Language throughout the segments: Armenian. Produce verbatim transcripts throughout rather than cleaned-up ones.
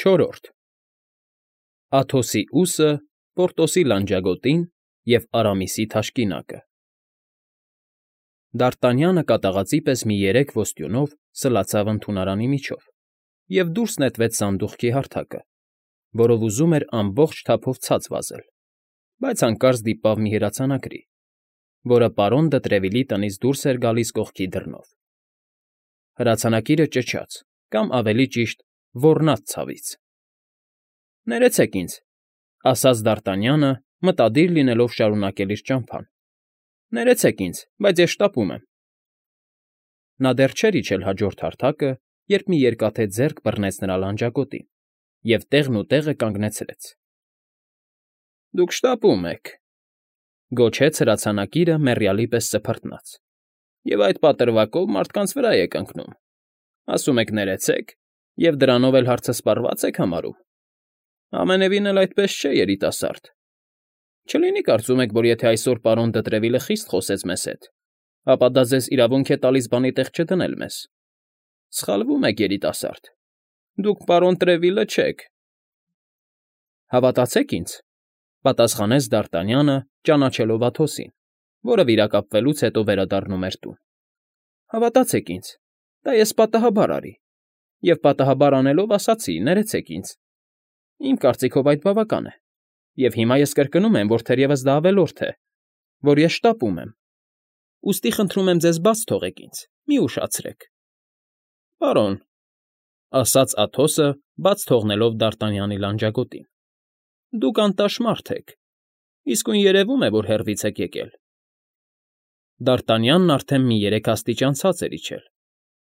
Չորրորդ Աթոսի ուսը, Պորտոսի լանջագոտին և Արամիսի թաշկինակը Դ'Արտանյանը կատաղածի պես մի երեք ոստյունով սլացավ ընդունարանի միջով և դուրս նետվեց սանդուղքի հարթակը, որով ուզում էր ամբողջ թափով ցած վազել, բայց հանկարծ դիպավ մի հրացանակրի, որը պարոն դը Տրևիլի տնից դուրս էր գալիս կողքի դռնով. հրացանակիրը ճչաց կամ, ավելի ճիշտ, ոռնաց ցավից։ ֊ Ներեցեք ինձ,֊ ասաց Դ'Արտանյանը, մտադիր լինելով շարունակել իր ճամփան,֊ ներեցեք ինձ, բայց ես շտապում եմ… Նա դեռ չէր իջել հաջորդ հարթակը, երբ մի երկաթե ձեռք բռնեց նրա լանջագոտին և տեղն ու տեղը կանգնեցրեց։ ֊ Դուք շտապում եք,֊ գոչեց հրացանակիրը մեռյալի պես սփռտնաց,֊ և այդ պատրվակով մարդկանց վրա եք ընկնում, ասում եք ներեցեք և դրանով էլ հարցը սպառվա՞ծ եք համարում… Ամենևին էլ այդպես չէ, երիտասարդ… Չլինի՞ կարծում եք, որ եթե այսօր պարոն դը Տրևիլը խիստ խոսեց մեզ հետ, ապա դա ձեզ իրավունք է տալիս բանի տեղ չդնել մեզ… Սխալվում եք, երիտասարդ… Դուք պարոն Տրևիլը չեք… ֊ Հավատացեք ինձ,֊ պատասխանեց Դ'Արտանյանը, ճանաչելով Աթոսին, որը վիրակապվելուց հետո վերադառնում էր տուն,֊ հավատացեք ինձ, դա ես պատահաբար արի, և պատահաբար անելով ասացի. «Ներեցեք ինձ»… Իմ կարծիքով այդ բավական է, և հիմա ես կրկնում եմ, որ թերևս դա ավելորդ է, որ ես շտապում եմ, ուստի խնդրում եմ ձեզ բաց թողեք ինձ, մի ուշացրեք… ֊ Պարոն,֊ ասաց Աթոսը, բաց թողնելով Դ'Արտանյանի լանջագոտին,֊ դուք անտաշ մարդ եք, իսկույն երևում է, որ հեռվից եք եկել… Դ'Արտանյանն արդեն մի երեք աստիճան ցած էր իջել,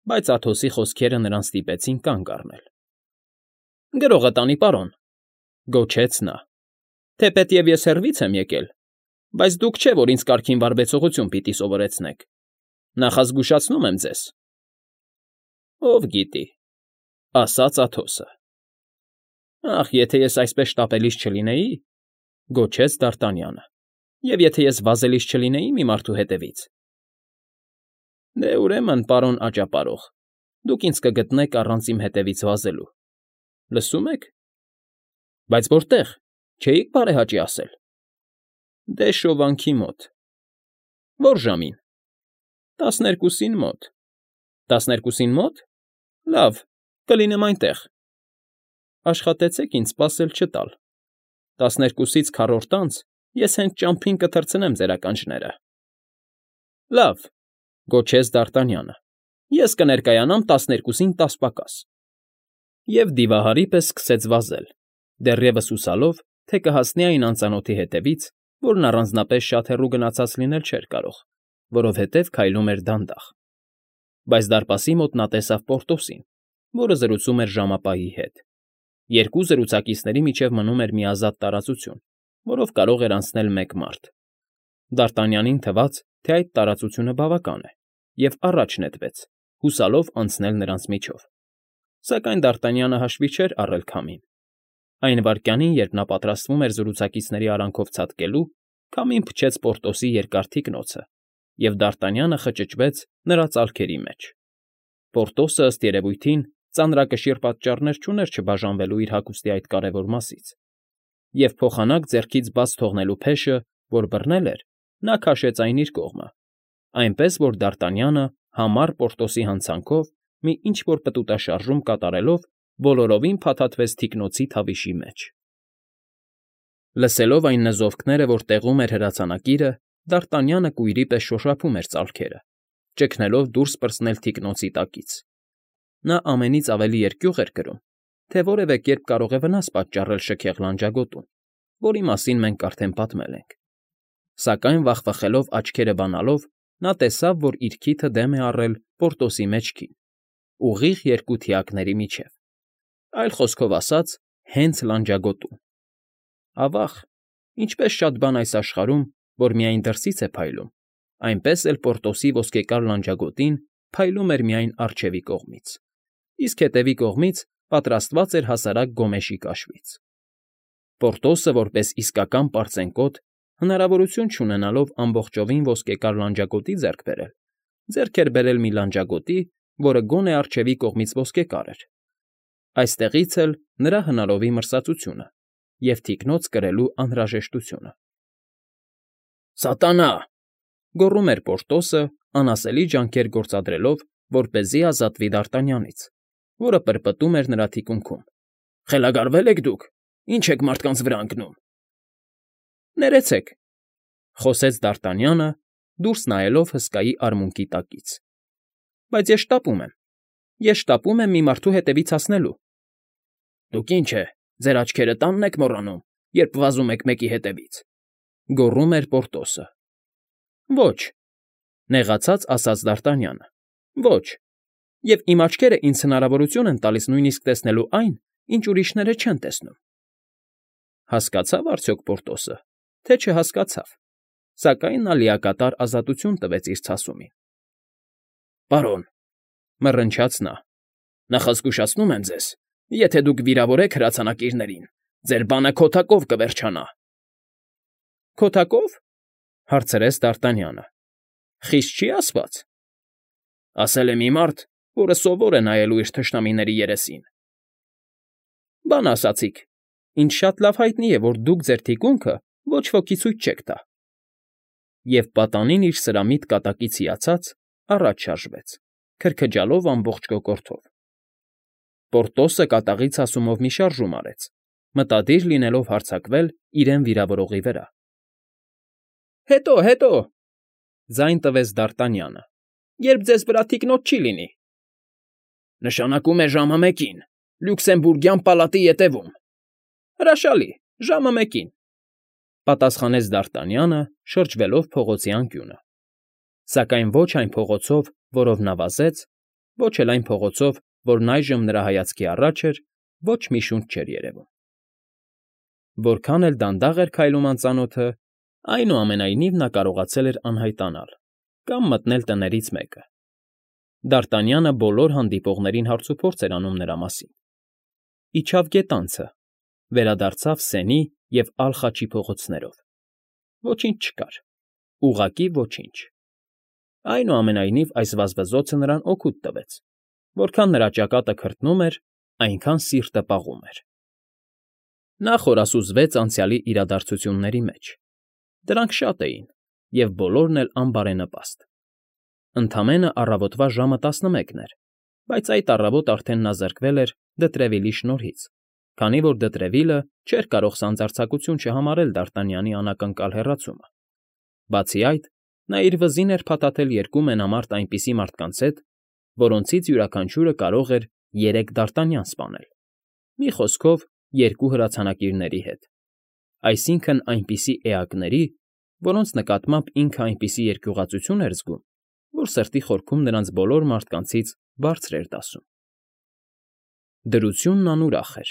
բայց Աթոսի խոսքերը նրան ստիպեցին կանգ առնել։ ֊ Գրողը տանի, պարոն,֊ գոչեց նա,֊ թեպետև ես հեռվից եմ եկել, բայց դուք չէ, որ ինձ կարգին վարվեցողություն պիտի սովորեցնեք… Նախազգուշացնում եմ ձեզ… ֊ Ով գիտի,֊ ասաց Աթոսը։ ֊ Ախ, եթե ես այսպես շտապելիս չլինեի,֊ գոչեց Դ'Արտանյանը,֊ և եթե ես վազելիս չլինեի մի մարդու հետևից… ֊ Դե, ուրեմն, պարոն աճապարող, դուք ինձ կգտնեք առանց իմ հետևից վազելու… Լսո՞ւմ եք… Բայց որտե՞ղ, չէի՞ք բարեհաճի ասել… ֊ Դե, շովանքի մոտ… ֊ Ո՞ր ժամին… ֊ Տասներկուսին մոտ… ֊ Տասներկուսին մո՞տ… Լավ, կլինեմ այնտեղ… Աշխատեցեք ինձ սպասել չտալ… Տասներկուսից քառորդ անց ես հենց ճամփին կթռցնեմ ձեր ականջները… ֊ Լավ,֊ գոչեց Դ'Արտանյանը,֊ ես կներկայանամ տասներկուսին տաս պակաս… Եվ դիվահարի պես սկսեց վազել, դեռևս հուսալով, թե կհասնի այն անծանոթի հետևից, որն առանձնապես շատ հեռու գնացած լինել չէր կարող, որովհետև քայլում էր դանդաղ… Բայց դարպասի մոտ նա տեսավ Պորտոսին, որը զրուցում էր ժամապահի հետ… Երկու զրուցակիցների միջև մնում էր մի ազատ տարածություն, որով կարող էր անցնել մեկ մարդ… Դ'Արտանյանին թվաց, թե այդ տարածությունը բավական է, և առաջ նետվեց, հուսալով անցնել նրանց միջով… Սակայն Դ'Արտանյանը հաշվի չէր առել քամին… Այն վայրկյանին, երբ նա պատրաստվում էր զրուցակիցների արանքով ցատկելու, քամին փչեց Պորտոսի երկար թիկնոցը, և Դ'Արտանյանը խճճվեց նրա ծալքերի մեջ… Պորտոսը, ըստ երևույթին, ծանրակշիռ պատճառներ չուներ չբաժանվելու իր հագուստի այդ կարևոր մասից, և փոխանակ ձեռքից բաց թողնելու փեշը, որ բռնել էր, նա քաշեց այն իր կողմը, այնպես որ Դ'Արտանյանը համառ Պորտոսի հանցանքով մի ինչ֊որ պտուտաշարժում կատարելով բոլորովին փաթաթվեց թիկնոցի թավիշի մեջ… Լսելով այն նզովքները, որ տեղում էր հրացանակիրը, Դ'Արտանյանը կույրի պես շոշափում էր ծալքերը, ճգնելով դուրս պրծնել թիկնոցի տակից… Նա ամենից ավելի երկյուղ էր կրում, թե որևէ կերպ կարող է վնաս պատճառել շքեղ լանջագոտուն, որի մասին մենք արդեն պատմել ենք… Սակայն վախվխելով աչքերը բանալով, նա տեսավ, որ իր քիթը դեմ է առել Պորտոսի մեջքին, ուղիղ երկու թիակների միջև, այլ խոսքով ասած, հենց լանջագոտում… Ավա՜ղ, ինչպես շատ բան այս աշխարհում, որ միայն դրսից է փայլում, այնպես էլ Պորտոսի ոսկեկար լանջագոտին փայլում էր միայն առջևի կողմից, իսկ հետևի կողմից պատրաստված էր հասարակ գոմեշի կաշվից… Պորտոսը, որպես իսկական պարծենկոտ, հնարավորություն չունենալով ամբողջովին ոսկեկար լանջագոտի ձեռք բերել, ձեռք էր բերել մի լանջագոտի, որը գոնե առջևի կողմից ոսկեկար էր, Այստեղից էլ նրա հնարովի մրսածությունը և թիկնոց կրելու անհրաժեշտությունը։ ֊ Սատանա՜… գոռում էր Պորտոսը, անասելի ջանքեր գործադրելով, որպեսզի ազատվի Դարտանյանից, որը պրպտում էր նրա թիկունքում։ ֊ Խելագարվե՞լ եք դուք, ինչ եք մարդկանց վրա ընկնում։ ֊ Ներեցեք,֊ խոսեց Դարտանյանը, դուրս նայելով հսկայի արմունկի տակից,֊ բայց ես շտապում եմ, ես շտապում եմ մի մարդու հետևից հասնելու։ ֊ Դուք, ինչ է, ձեր աչքերը տանն եք մոռանում, երբ վազում եք մեկի հետևից,֊ գոռում էր Պորտոսը։ ֊ Ոչ,֊ նեղացած ասաց Դարտանյանը,֊ ոչ, և իմ աչքերը ինձ հնարավորություն են տալիս նույնիսկ տեսնելու այն, ինչ ուրիշները չեն տեսնում։ Հասկացա՞վ արդյոք Պորտոսը, թե չհասկացավ, սակայն նա լիակատար ազատություն տվեց իր ցասումին։ ֊ Պարոն,֊ մռնչաց նա,֊ նախազգուշացնում եմ ձեզ, եթե դուք վիրավորեք հրացանակիրներին, ձեր բանը քոթակով կվերջանա։ ֊ Քոթակո՞վ,֊ հարցրեց Դարտանյանը,֊ խիստ չի՞ ասված։ ֊ Ասել է մի մարդ, որը սովոր է նայելու իր թշնամիների երեսին։ ֊ Բան ասացիք, ինձ շատ լավ հայտնի է, որ դուք ձեր թիկունքը ոչ ոքի ցույց չեք տա։ Եվ պատանին իր սրամիտ կատակից հիացած առաջ շարժվեց, քրքջալով ամբողջ կոկորդով։ Պորտոսը կատաղի ցասումով մի շարժում արեց, մտադիր լինելով հարձակվել իրեն վիրավորողի վրա։ ֊ Հետո, հետո,֊ ձայն տվեց Դարտանյանը,֊ երբ ձեզ վրա թիկնոց չի լինի։ ֊ Նշանակում է ժամը մեկին, Լյուքսեմբուրգյան պալատի ետևում։ ֊ Հրաշալի, ժամը մեկին,֊ պատասխանեց Դարտանյանը, շրջվելով փողոցի անկյունը, սակայն ոչ այն փողոցով, որով նա վազեց, ոչ էլ այն փողոցով, որն այժմ նրա հայացքի առաջ էր, ոչ մի շունչ չէր երևում։ Որքան էլ դանդաղ էր քայլում անծանոթը, այնուամենայնիվ նա կարողացել էր անհայտանալ կամ մտնել տներից մեկը։ Դարտանյանը բոլոր հանդիպողներին հարցուփորձ էր անում նրա մասին։ Իջավ գետանցը, վերադարձավ Սենի և Ալ֊Խաչի փողոցներով։ Ոչինչ չկար, ուղղակի ոչինչ։ Այնուամենայնիվ այս վազվզոցը նրան օգուտ տվեց. որքան նրա ճակատը քրտնում էր, այնքան սիրտը պաղում էր։ Նա խորասուզվեց անցյալի իրադարձությունների մեջ։ Դրանք շատ էին, և բոլորն էլ անբարենպաստ։ Ընդամենը առավոտվա ժամը տասնմեկն էր, բայց այդ առավոտ արդեն նա զրկվել էր Դտրևիլի շնորհից, քանի որ Դտրևիլը չէր կարող սանձարձակություն չհամարել Դարտանյանի անակնկալ հեռացումը։ Բացի այդ, նա իր վզին էր փաթաթել երկու մենամարտ այնպիսի մարդկանց հետ, որոնցից յուրաքանչյուրը կարող էր երեք Դարտանյան սպանել, մի խոսքով, երկու հրացանակիրների հետ, այսինքն՝ այնպիսի էակների, որոնց նկատմամբ ինքը այնպիսի երկյուղածություն էր զգում, որ սրտի խորքում նրանց բոլոր մարդկանցից բարձր էր դասում։ Դրությունն անուրախ էր։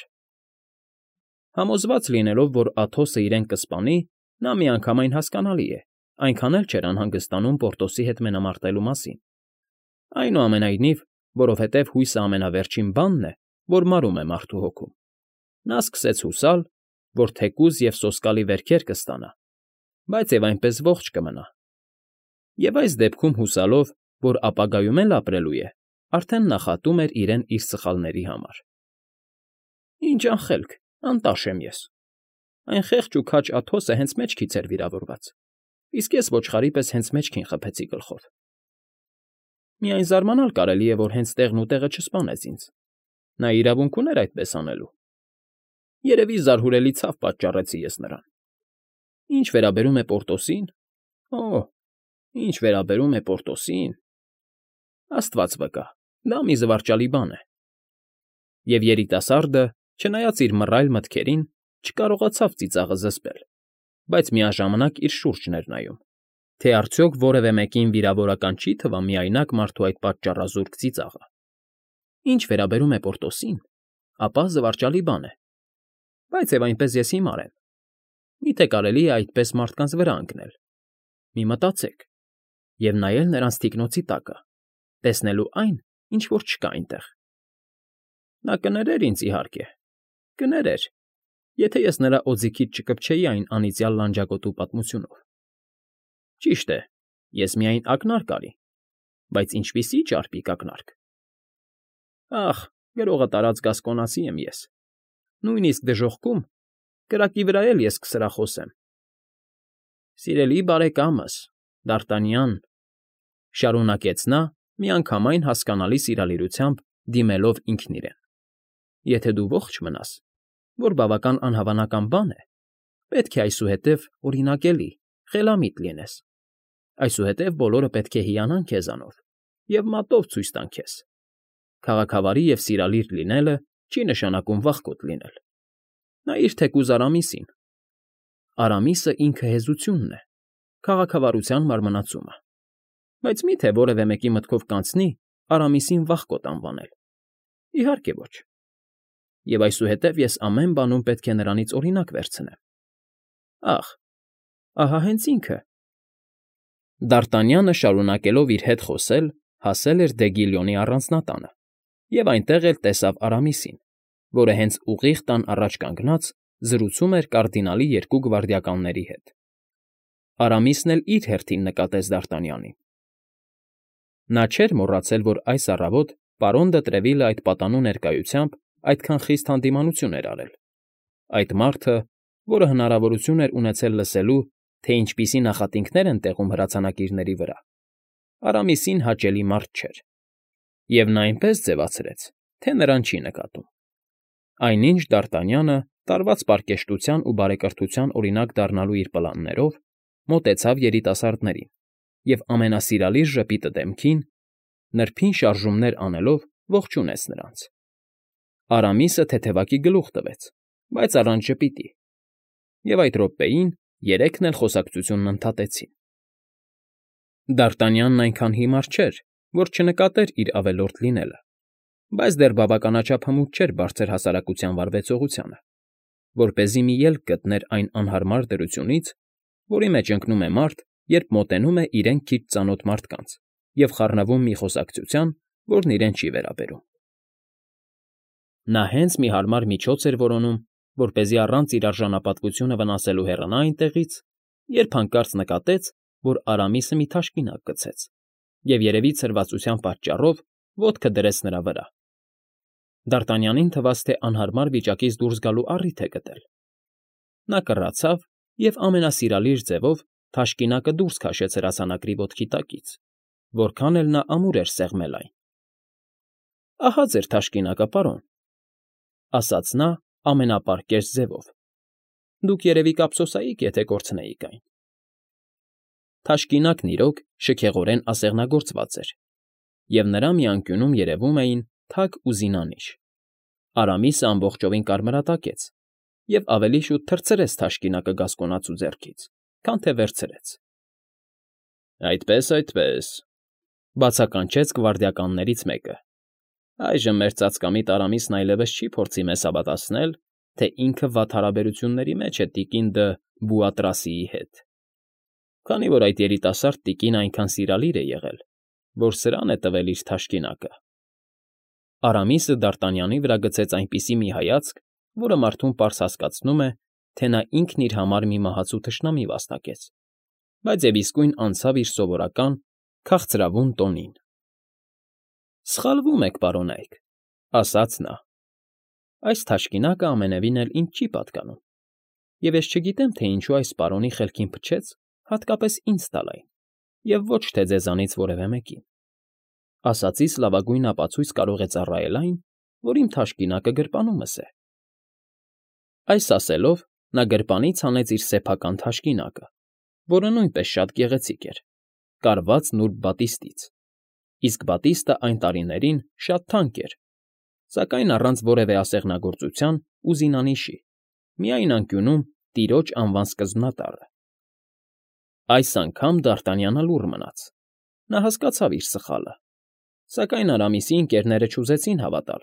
Համոզված լինելով, որ Աթոսը իրեն կսպանի, նա միանգամայն հասկանալի է, այնքան էլ չէր անհանգստանում Պորտոսի հետ մենամարտելու մասին։ Այնուամենայնիվ, որովհետև հույսը ամենավերջին բանն է, որ մարում է մարդու հոգում, նա սկսեց հուսալ, որ թեկուզ և սոսկալի վերքեր կստանա, բայց և այնպես ողջ կմնա։ Եվ այս դեպքում հուսալով, որ ապագայում էլ ապրելու է, արդեն նախատում էր իրեն իր սխալների համար։ Ինչ անխելք, անտաշ եմ ես։ Այն խեղճ ու քաջ Աթոսը հենց մեջքից էր վիրավորված, իսկ ես ոչխարի պես հենց մեջքին խփեցի գլխով։ Միայն զարմանալ կարելի է, որ հենց տեղն ու տեղը չսպանեց ինձ։ Նա իրավունք ուներ այդպես անելու։ Երևի զարհուրելի ցավ պատճառեցի ես նրան։ Ինչ վերաբերում է Պորտոսին… Օ՜, ինչ վերաբերում է Պորտոսին… Աստված վկա, դա մի զվարճալի բան է։ Եվ երիտասարդը, չնայած իր մռայլ մտքերին, չկարողացավ ծիծաղը զսպել, բայց միաժամանակ իր շուրջն էր նայում, թե արդյոք որևէ մեկին վիրավորական չի թվա միայնակ մարդու այդ պատճառազուրկ ծիծաղը։ Ինչ վերաբերում է Պորտոսին, ապա զվարճալի բան է։ Բայց և այնպես ես հիմար եմ։ Մի՞թե կարելի է այդպես մարդկանց վրա ընկնել։ Մի մտածեք և նայել նրանց թիկնոցի տակը, տեսնելու այն, ինչ որ չկա այնտեղ։ Նա կներեր ինձ, իհարկե, կներեր, եթե ես նրա օձիքից չկպչեի այն անիծյալ լանջակոտու պատմությունով։ Ճիշտ է, ես միայն ակնարկ արի, բայց ինչպիսի՞ ճարպիկ ակնարկ… Ախ, գրողը տարած գասկոնացի եմ ես, նույնիսկ դժոխքում, կրակի վրա էլ ես կսրախոսեմ։ ֊ Սիրելի բարեկամս, Դ'Արտանյան,֊ շարունակեց նա, միանգամայն հասկանալի սիրալիրությամբ դիմելով ինքն իրեն,֊ եթե դու ողջ մնաս, որ բավական անհավանական բան է, պետք է այսուհետև օրինակելի, խելամիտ լինես, այսուհետև բոլորը պետք է հիանան քեզանով և մատով ցույց տան քեզ. քաղաքավարի և սիրալիր լինելը չի նշանակում վախկոտ լինել։ Նայիր թեկուզ Արամիսին. Արամիսը ինքը հեզությունն է, քաղաքավարության մարմնացումը, բայց մի՞թե որևէ մեկի մտքով կանցնի Արամիսին վախկոտ անվանել։ Իհարկե ոչ։ Եվ այսուհետև ես ամեն բանում պետք է նրանից օրինակ վերցնեմ։ Ախ, ահա հենց ինքը… Դ'Արտանյանը, շարունակելով իր հետ խոսել, հասել էր Դեգիլյոնի առանձնատանը և այնտեղ էլ տեսավ Արամիսին, որը հենց ուղիղ տան առաջ կանգնած զրուցում էր կարդինալի երկու գվարդիականների հետ։ Արամիսն էլ իր հերթին նկատեց Դ'Արտանյանին. նա չէր մոռացել, որ այս առավոտ պարոն դը Տրևիլը այդ պատանու ներկայությամբ այդքան խիստ հանդիմանություն էր արել, այդ մարդը, որը հնարավորություն էր ունեցել լսելու, թե ինչպիսի նախատինքներ են տեղում հրացանակիրների վրա, Արամիսին հաճելի մարդ չէր, և նա այնպես ձևացրեց, թե նրան չի նկատում։ Այնինչ Դ'Արտանյանը, տարված պարկեշտության ու բարեկրթության օրինակ դառնալու իր պլաններով, մոտեցավ երիտասարդներին և ամենասիրալիր ժպիտը դեմքին, նրբին շարժումներ անելով ողջունեց նրանց։ Արամիսը թեթևակի գլուխ տվեց, բայց առանց ժպիտի, և այդ րոպեին երեքն էլ խոսակցությունն ընդհատեցին։ Դ'Արտանյանն այնքան հիմար չէր, որ չնկատեր իր ավելորդ լինելը, բայց դեռ բավականաչափ հմուտ չէր բարձր հասարակության վարվեցողությանը, որպեսզի մի ելք գտներ այն անհարմար դրությունից, որի մեջ ընկնում է մարդ, երբ մոտենում է իրեն քիչ ծանոթ մարդկանց և խառնվում մի խոսակցության, որն իրեն չի վերաբերում։ Նա հենց մի հարմար միջոց էր որոնում, որպեսզի առանց իր արժանապատվությունը վնասելու հեռանա այնտեղից, երբ հանկարծ նկատեց, որ Արամիսը մի թաշկինակ գցեց և, երևի ցրվածության պատճառով, ոտքը դրեց նրա վրա։ Դ'Արտանյանին թվաց, թե անհարմար վիճակից դուրս գալու առիթ է գտել։ Նա կռացավ և ամենասիրալիր ձևով թաշկինակը դուրս քաշեց հրացանակրի ոտքի տակից, որքան էլ նա ամուր էր սեղմել այն։ ֊ Ահա ձեր թաշկինակը, պարոն,֊ ասաց նա ամենապարկեշտ ձևով։֊ Դուք, երևի, կափսոսայիք, եթե կորցնեիք այն։ Թաշկինակն, իրոք, շքեղորեն ասեղնագործված էր, և նրա մի անկյունում երևում էին թագ ու զինանիշ։ Արամիսը ամբողջովին կարմրատակեց և ավելի շուտ թռցրեց թաշկինակը գասկոնացու ձեռքից, քան թե վերցրեց։ ֊ Այդպե՜ս, այդպե՜ս,֊ բացականչեց գվարդիականներից մեկը։֊ Այժմ մեր ծածկամիտ Արամիսն այլևս չի փորձի մեզ հավատացնել, թե ինքը վատ հարաբերությունների մեջ է տիկին Դ'Ը Բուատրասիի հետ, քանի որ այդ երիտասարդ տիկինը այնքան սիրալիր է եղել, որ սրան է տվել իր թաշկինակը։ Արամիսը Դ'Արտանյանի վրա գցեց այնպիսի մի հայացք, որը մարդուն պարզ հասկացնում է, թե նա ինքն իր համար մի մահացու թշնամի վաստակեց, բայց և իսկույն անցավ իր սովորական քաղցրավուն տոնին։ ֊ Սխալվում եք, պարոնայք,֊ ասաց նա։ Այս թաշկինակը ամենևին էլ ինձ չի պատկանում, և ես չգիտեմ, թե ինչու այս պարոնի խելքին փչեց հատկապես ինձ տալ այն, և ոչ թե ձեզանից որևէ մեկին։ Ասածիս լավագույն ապացույց կարող է ծառայել այն, որ իմ թաշկինակը գրպանումս է։ Այս ասելով նա գրպանից հանեց իր սեփական թաշկինակը, որը նույնպես շատ գեղեցիկ էր, կարված նուրբ բատիստից, իսկ բատիստը այն տարիներին շատ թանկ էր, սակայն առանց որևէ ասեղնագործության ու զինանիշի, միայն անկյունում տիրոջ անվան սկզբնատառը։ Այս անգամ Դ'Արտանյանը լուռ մնաց. նա հասկացավ իր սխալը, սակայն Արամիսի ընկերները չուզեցին հավատալ,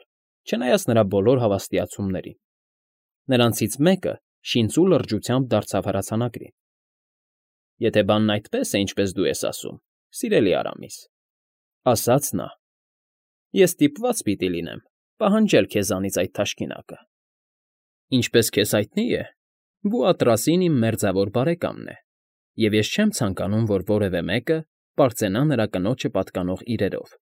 չնայած նրա բոլոր հավաստիացումներին։ Նրանցից մեկը շինծու լրջությամբ դարձավ հրացանակրին։ ֊ Եթե բանն այդպես է, ինչպես դու ես ասում, սիրելի Արամիս,֊ ասաց նա,֊ ես ստիպված պիտի լինեմ պահանջել քեզանից այդ թաշկինակը։ Ինչպես քեզ հայտնի է, Բուատրասին իմ մերձավոր բարեկամն է, և ես չեմ ցանկանում, որ որևէ մեկը պարծենա նրա կնոջը պատկանող իրերով։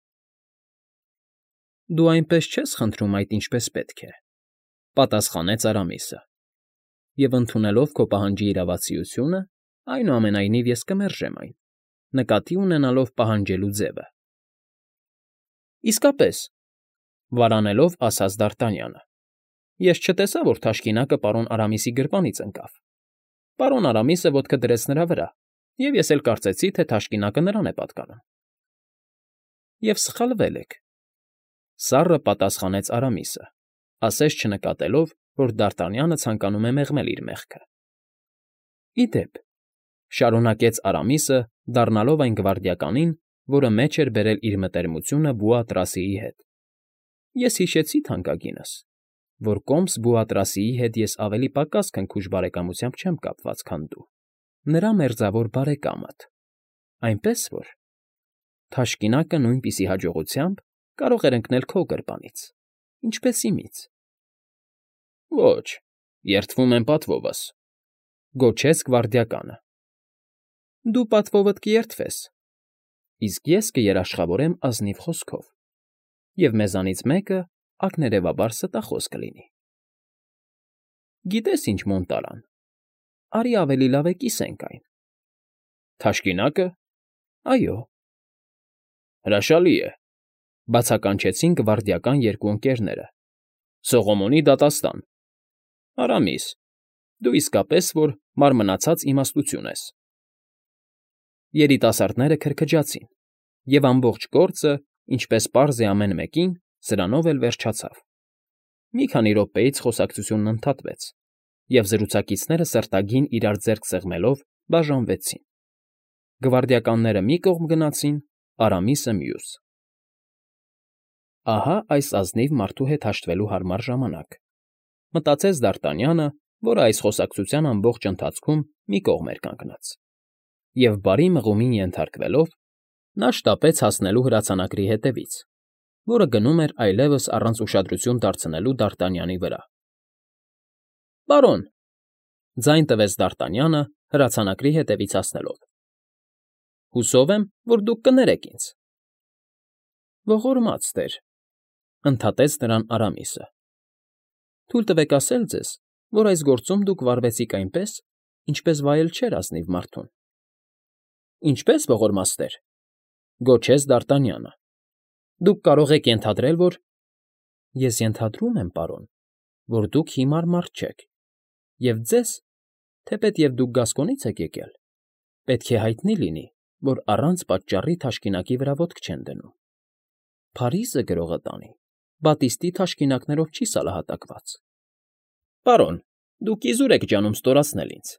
Դու այնպես չես խնդրում այդ ինչպես պետք է,֊ պատասխանեց Արամիսը,֊ և ընդունելով քո պահանջի իրավացիությունը, այնուամենայնիվ ես կմերժեմ այն, նկատի ունենալով պահանջելու ձևը։ ֊ Իսկապես,֊ վարանելով ասաց Դարտանյանը,֊ ես չտեսա, որ թաշկինակը պարոն Արամիսի գրպանից ընկավ. պարոն Արամիսը ոտքը դրեց նրա վրա, և ես էլ կարծեցի, թե թաշկինակը նրան է պատկանում։ ֊ Եվ սխալվել եք,֊ սառը պատասխանեց Արամիսը, ասես չնկատելով, որ Դարտանյանը ցանկանում է մեղմել իր մեղքը։ ֊ Ի դեպ,֊ շարունակեց Արամիսը, դառնալով այն գվարդիականին, որը մեջ էր բերել իր մտերմությունը Բուատրասիի հետ,֊ ես հիշեցի թանկագինս, որ կոմս Բուատրասիի հետ ես ավելի պակաս քնքուշ բարեկամությամբ չեմ կապված, քան դու, նրա մերձավոր բարեկամդ, այնպես որ… թաշկինակը նույնպիսի հաջողությամբ կարող էր ընկնել քո գրպանից, ինչպես իմից։ ֊ Ոչ, երդվում եմ պատվովս,֊ գոչեց գվարդիականը։ ֊ Դու պատվովդ կերդվես, իսկ ես կերաշխավորեմ ազնիվ խոսքով, և մեզանից մեկը ակներևաբար ստախոս կլինի։ ֊ Գիտե՞ս ինչ, Մոնտալան, արի ավելի լավ է կիսենք այն։ ֊ Թաշկինակը։ ֊ Այո։ ֊ Հրաշալի է,֊ բացականչեցին գվարդիական երկու ընկերները,֊ Սողոմոնի դատաստան… Արամիս, դու իսկապես որ մարմնացած իմաստություն ես… Երիտասարդները քրքջացին, և ամբողջ գործը, ինչպես պարզ է ամեն մեկին, սրանով էլ վերջացավ. մի քանի րոպեից խոսակցությունն ընդհատվեց, և զրուցակիցները սրտագին իրար ձեռք սեղմելով բաժանվեցին. գվարդիականները մի կողմ գնացին, Արամիսը՝ մյուս։ «Ահա այս ազնիվ մարդու հետ հաշտվելու հարմար ժամանակ,֊ մտածեց Դարտանյանը, որը այս խոսակցության ամբողջ ընթացքում մի կողմ էր կանգնած, և բարի մղումին ենթարկվելով, նա շտապեց հասնելու հրացանակրի հետևից, որը գնում էր այլևս առանց ուշադրություն դարձնելու Դարտանյանի վրա։ ֊ Պարոն,֊ ձայն տվեց Դարտանյանը հրացանակրի հետևից հասնելով,֊ հուսով եմ, որ դուք կներեք ինձ։ ֊ Ողորմած տեր,֊ ընդհատեց նրան Արամիսը,֊ թույլ տվեք ասել ձեզ, որ այս գործում դուք վարվեցիք այնպես, ինչպես վայել չէր ազնիվ մարդուն։ ֊ Ինչպե՞ս, ողորմած տեր,֊ գոչեց Դարտանյանը,֊ դուք կարող եք ենթադրել, որ… ֊ Ես ենթադրում եմ, պարոն, որ դուք հիմար մարդ չեք, և ձեզ, թեպետ և դուք Գասկոնից եք եկել, պետք է հայտնի լինի, որ առանց պատճառի թաշկինակի վրա ոտք չեն դնում. Փարիզը գրողը տանի բատիստի թաշկինակներով չի սալահատակված։ ֊ Պարոն, դուք իզուր եք ջանում ստորացնել ինձ,֊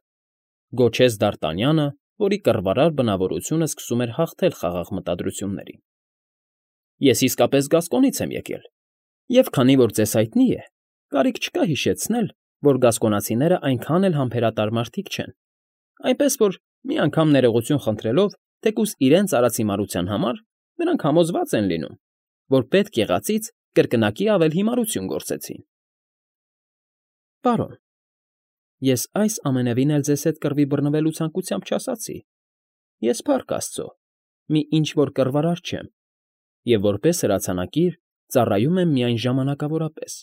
գոչեց Դարտանյանը, որի կռվարար բնավորությունը սկսում էր հաղթել խաղաղ մտադրություններին,֊ ես իսկապես Գասկոնից եմ եկել, և քանի որ ձեզ հայտնի է, կարիք չկա հիշեցնել, որ գասկոնացիներն այնքան էլ համբերատար մարդիկ չեն, այնպես որ, մի անգամ ներողություն խնդրելով, թեկուզ իրենց արած հիմարության համար, նրանք համոզված են լինում, որ պետք եղածից կրկնակի ավել հիմարություն գործեցին։ ֊ Պարոն, ես այս ամենևին էլ ձեզ հետ կռվի բռնվելու ցանկությամբ չասացի. ես, փառք աստծո, մի ինչ֊որ կռվարար չեմ և որպես հրացանակիր ծառայում եմ միայն ժամանակավորապես.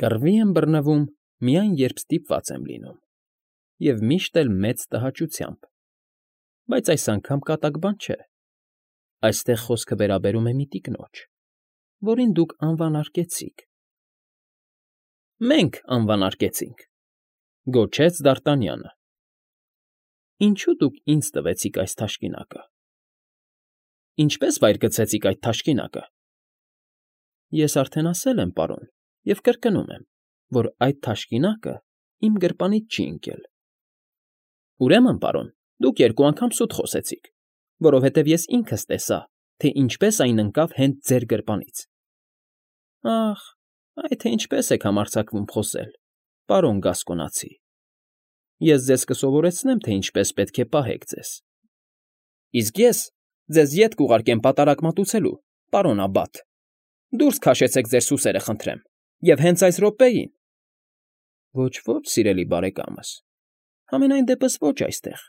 կռվի եմ բռնվում միայն, երբ ստիպված եմ լինում, և միշտ էլ մեծ տհաճությամբ, բայց այս անգամ կատակ բան չէ. այստեղ խոսքը վերաբերում է մի տիկնոջ, որին դուք անվանարկեցիք։ ֊ Մենք անվանարկեցինք,֊ գոչեց Դարտանյանը։ ֊ Ինչո՞ւ դուք ինձ տվեցիք այս թաշկինակը։ ֊ Ինչպե՞ս վայր գցեցիք այդ թաշկինակը։ ֊ Ես արդեն ասել եմ, պարոն, և կրկնում եմ, որ այդ թաշկինակը իմ գրպանից չի ընկել։ ֊ Ուրեմն, պարոն, դուք երկու անգամ սուտ խոսեցիք, որովհետև ես ինքս տեսա, թե ինչպես այն ընկավ հենց ձեր գրպանից։ ֊ Ախ, այ թե ինչպես եք համարձակվում խոսել, պարոն Գասկոնացի… Ես ձեզ կսովորեցնեմ, թե ինչպես պետք է պահեք ձեզ։ ֊ Իսկ ես ձեզ ետ կուղարկեմ պատարագ մատուցելու, պարոն Աբբաթ… Դուրս քաշեցեք ձեր սուսերը, խնդրեմ, և հենց այս րոպեին… ֊ Ոչ, ոչ, սիրելի բարեկամս, համենայն դեպս ոչ այստեղ…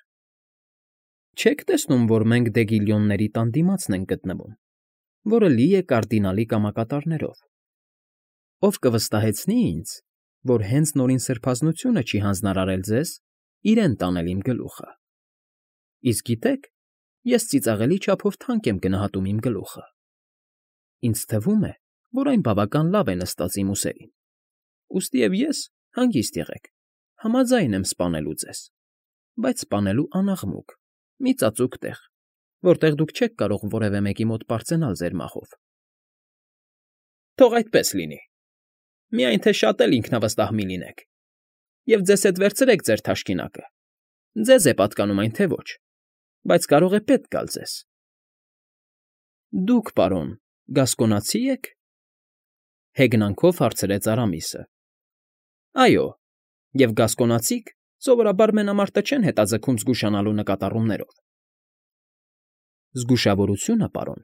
Չեք տեսնում, որ մենք Դեգիլյոնների տան դիմացն ենք գտնվում, որը լի է կարդինալի կամակատարներով։ Ով կվստահեցնի ինձ, որ հենց Նորին Սրբազնությունը չի հանձնարարել ձեզ իրեն տանել իմ գլուխը։ Իսկ գիտեք, ես ծիծաղելի չափով թանկ եմ գնահատում իմ գլուխը։ Ինձ թվում է, որ այն բավական լավ է նստած իմ ուսերին, ուստիև ես, հանգիստ եղեք, համաձայն եմ սպանելու ձեզ, բայց սպանելու անաղմուկ, մի ծածուկ տեղ, որտեղ դուք չեք կարող որևէ մեկի մոտ պարծենալ ձեր մահով։ Թող այդպես լինի, միայն թե շատ էլ ինքնավստահ մի լինեք, և ձեզ հետ վերցրեք ձեր թաշկինակը, ձեզ է պատկանում այն, թե ոչ, բայց կարող է պետք գալ ձեզ։ Դուք, պարոն, գասկոնացի եք,֊ հեգնանքով հարցրեց Արամիսը։ Այո, և գասկոնացիք սովորաբար մենամարտը չեն հետաձգում զգուշանալու նկատառումներով։ Զգուշավորությունը, պարոն,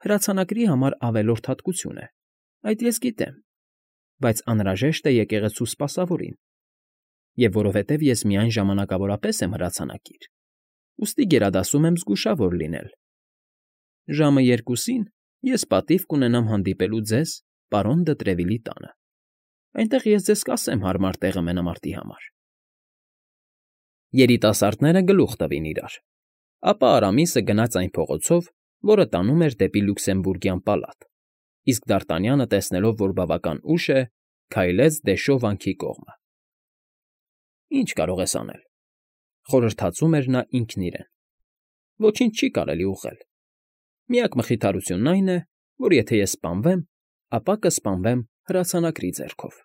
հրացանակրի համար ավելորդ հատկություն է, այդ ես գիտեմ, բայց անհրաժեշտ է եկեղեցու սպասավորին, և որովհետև ես միայն ժամանակավորապես եմ հրացանակիր, ուստի գերադասում եմ զգուշավոր լինել։ Ժամը երկուսին ես պատիվ կունենամ հանդիպելու ձեզ պարոն դը Տրևիլի տանը, այնտեղ ես ձեզ կասեմ հարմար տեղը մենամարտի համար։ Երիտասարդները գլուխ տվին իրար, ապա Արամիսը գնաց այն փողոցով, որը տանում էր դեպի Լյուքսեմբուրգյան պալատ, իսկ Դարտանյանը, տեսնելով, որ բավական ուշ է, քայլեց դեշո վանքի կողմը։ Ինչ կարող ես անել,֊ խորհրդածում էր նա ինքն իրեն,֊ ոչինչ չի կարելի ուղղել, միակ մխիթարությունն այն է, որ եթե ես սպանվեմ, ապա կսպանվեմ հրացանակրի ձեռքով։